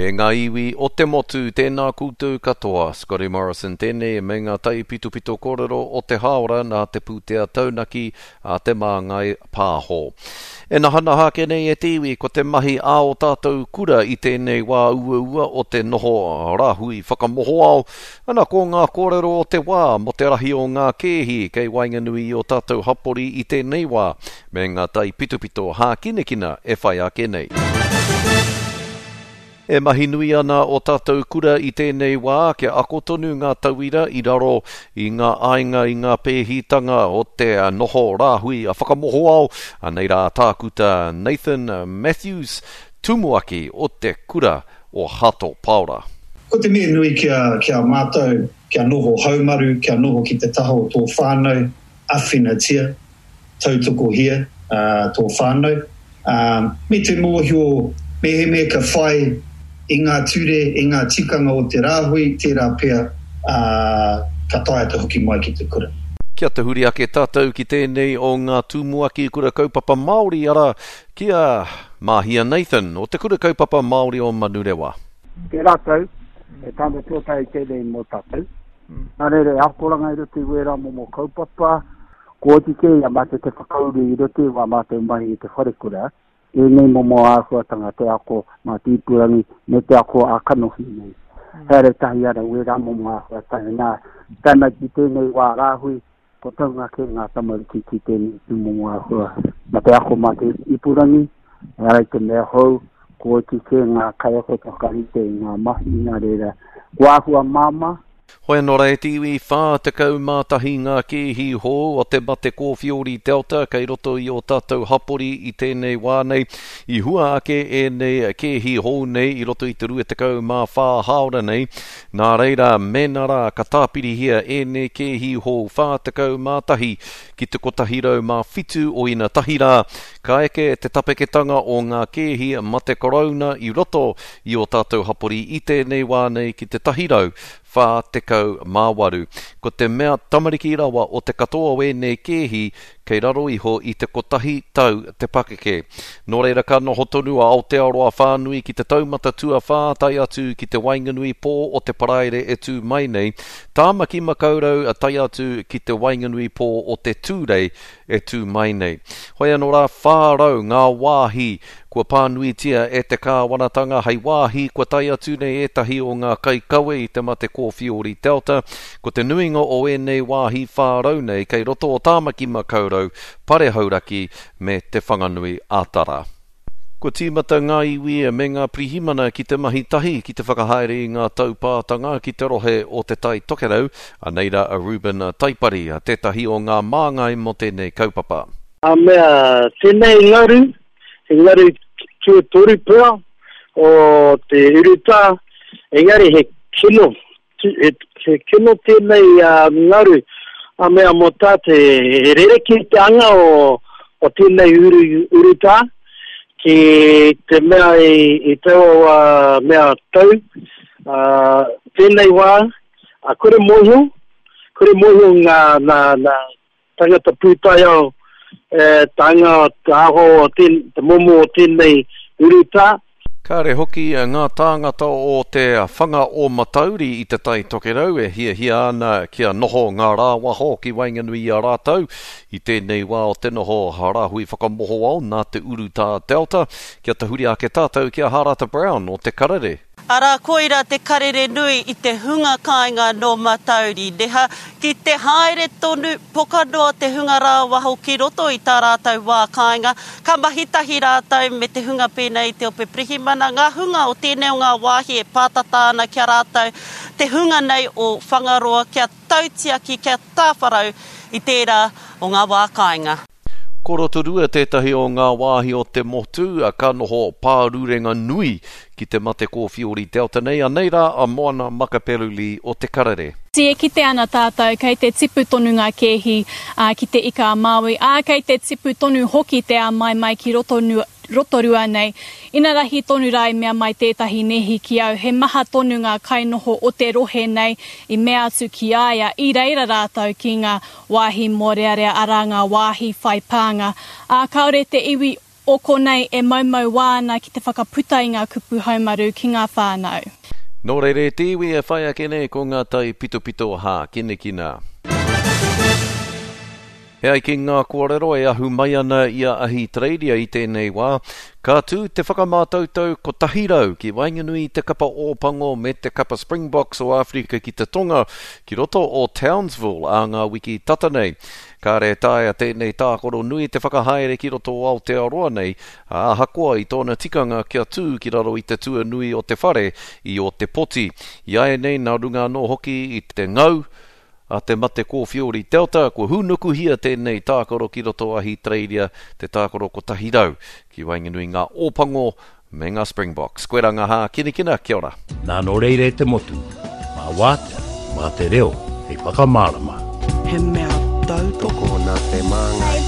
E ngā iwi o te motu, tēnā koutou katoa. Scotty Morrison tēnei me ngā taipitopito kōrero o te hāora nā te pūtea taunaki a Te Māngai Pāho. E nahanaha ake nei e te iwi ko te mahi a ō tātou kura i tēnei wā uaua o te noho rāhui whakamohoao, ana ko ngā kōrero o te wā mō te rahi o ngā kēhi kei waenganui i ō tātou hapori i tēnei wā, me ngā taipitopito hākinakina e whai ake nei. E mahi nui ana ō tātou kura i tēnei wā kia ako tonu ngā tauira i raro i ngā aiga i ngā pēhitanga o te noho rāhui a whakamohoao, anei rā Tākuta Nathan Matthews, Tumuaki o te Kura o Hato Paora. Ko te mea nui ki a mātou, kia noho haumaru, kia noho ki te taha o tō whānau, awhinatia, tautokohia tō whānau, ā, me te mōhio mehemea ka whai i ngā ture, i ngā tikanga o te rāhui, tērā pea, ā, ka taea te hoki mai ki te kura. Kia tahuri ake tātou ki tēnei o ngā tumuaki kura kaupapa Māori, arā, ki a Māhia Nathan o Te Kura Kaupapa Māori o Manurewa. Tērā tau, he tāne tuatahi tēnei mō tātou. Nā reira, he akoranga i roto i wērā momo kaupapa, Kua oti kē i a mātou te whakauru i roto i wā mātou mahi i te wharekura, ēnei momo āhuatanga te ako mā te ipurangi me te ako ā-kanohi nei. Haere tahi ana wērā momo āhuatanga. Nā, tae mai ki tēnei wā rāhui, kua taunga kē ngā tamariki ki tēnei tūmomo āhua. Mā te ako mā te ipurangi, ehara i te mea hou, kua oti kē ngā kaiako te whakarite i ngā mahi, nā reira, kua āhua māmā, Hoi anō rā e te iwi, 41 ngā kēhi hou o te mate kōwhiori Delta kei roto i ō tātou hapori i tēnei wā nei. I hua ake ēnei kēhi hou nei i roto i te 24 hāora nei. Nā reira, mēnā rā ka tāpirihia ēnei kēhi hou 41 ki te 107 o inatahi rā, ka eke te tapeketanga o ngā kēhi mate korouna i roto i ō tātou hapori i tēnei wā nei ki te 148. Ko te mea tamariki rawa o te katoa o ēnei kēhi kei raro iho i te kotahi tau te pakeke. Nō reira ka noho tonu a Aotearoa whānui ki te taumata tuawhā tae atu ki te waenganui pō o te Paraire e tū mai nei, Tāmaki Makaurau tae atu ki te waenganui pō o te Tūrei e tū mai nei. Hoi anō rā, 400 ngā wāhi kua pānuitia e te kāwanatanga hei wāhi kua tae atu nei ētahi o ngā kaikawe i te mate kōwhiori Delta. Ko te nuinga o ēnei wāhi 400 nei kei roto o Tāmaki Makaurau, Pare Hauraki me Te Whanganui a Tara. Kua tīmata ngā iwi me ngā pirihimana ki te mahi tahi ki te whakahaere i ngā taupātanga ki te rohe o Te Tai Tokerau, anei rā a Reuben Taipari, tētahi o ngā māngai mō tēnei kaupapa. A mea, tēnei ngaru, he ngaru tuatoru pea o te urutā, engari he kino He kino tēnei ngaru a mea mō tā te he rerekē te anga o, o tēnei uru, urutā ki te mea i, i taua mea tau. Uh, tēnei wā, a kore mōhio, kore mōhio ngā, nā, nā tangata pūtaiao e, te anga, te aho o tēn, te momo o tēnei urutā. Kāre hoki ngā tāngata o te whanga o Matauri i Te Tai Tokerau e hiahia ana kia noho ngā rāwaho ki waenganui i a rātou i tēnei wā o te noho rāhui whakamohoao nā te urutā Delta. Kia tahuri ake tātou ki a Hārata Brown o Te Karere. Arā, koira te karere nui i te hunga kāinga nō Matauri, neha, ki te haere tonu, poka noa te hunga rāwaho ki roto i tā rātou wā kāinga, ka mahi tahi rātou me te hunga pēnei i te ope pirihimana, ngā hunga o tēnei o ngā wāhi e pātata ana ki a rātou, te hunga nei o Whangaroa kia tautiaki, kia tāwharau i tērā o ngā wā kāinga. Ko Rotorua tētahi o ngā wāhi o te motu ka noho pārurenga nui ki te mate kōwhiori Delta nei, anei rā a Moana Makaperuli o Te Karere. E kite ana tātou kei te tipu tonu ngā kēhi ki Te Ika a Māui, ā, kei te tipu tonu hoki te āmaimai ki Rotorua nei. Inarahi tonu rā i mea mai tētahi nēhi ki au, he maha tonu ngā kainoho o te rohe nei i mea atu ki a ia, i reira rātou ki ngā wāhi mōrearea, arā ngā wāhi whai pānga, ā, kāore te iwi. o konei e moumou wā ana ki te whakaputa i ngā kupu haumaru ki ngā whānau. Nō reira e te iwi e whai ake nei ko ngā taipitopito hākinakina. E ai ki ngā kōrero e ahu mai ana i a Ahitereiria i tēnei wā, ka tū te whakamātautau 100 ki waenganui i te kapa Ōpango me te kapa Springboks o Āwherika ki te Tonga ki roto o Townsville ā ngā wiki tata nei. Kāre e taea tēnei tākaro nui te whakahaere ki roto o Aotearoa nei, ā, ahakoa i tōna tikanga kia tū ki raro i te tuanui o te whare i Ōtepoti. Iāianei nā runga anō hoki i te ngau a te mate kōwhiori Delta, kua hūnukuhia tēnei tākaro ki roto Ahitereiria, te tākaro 100 ki waenganui ngā Ōpango me ngā Springboks. Koirā ngā hākinakina, kia ora. Nā nō reira e te motu, mā wātea, mā te reo hei whakamārama. He mea tautoko. Tokona te māngai.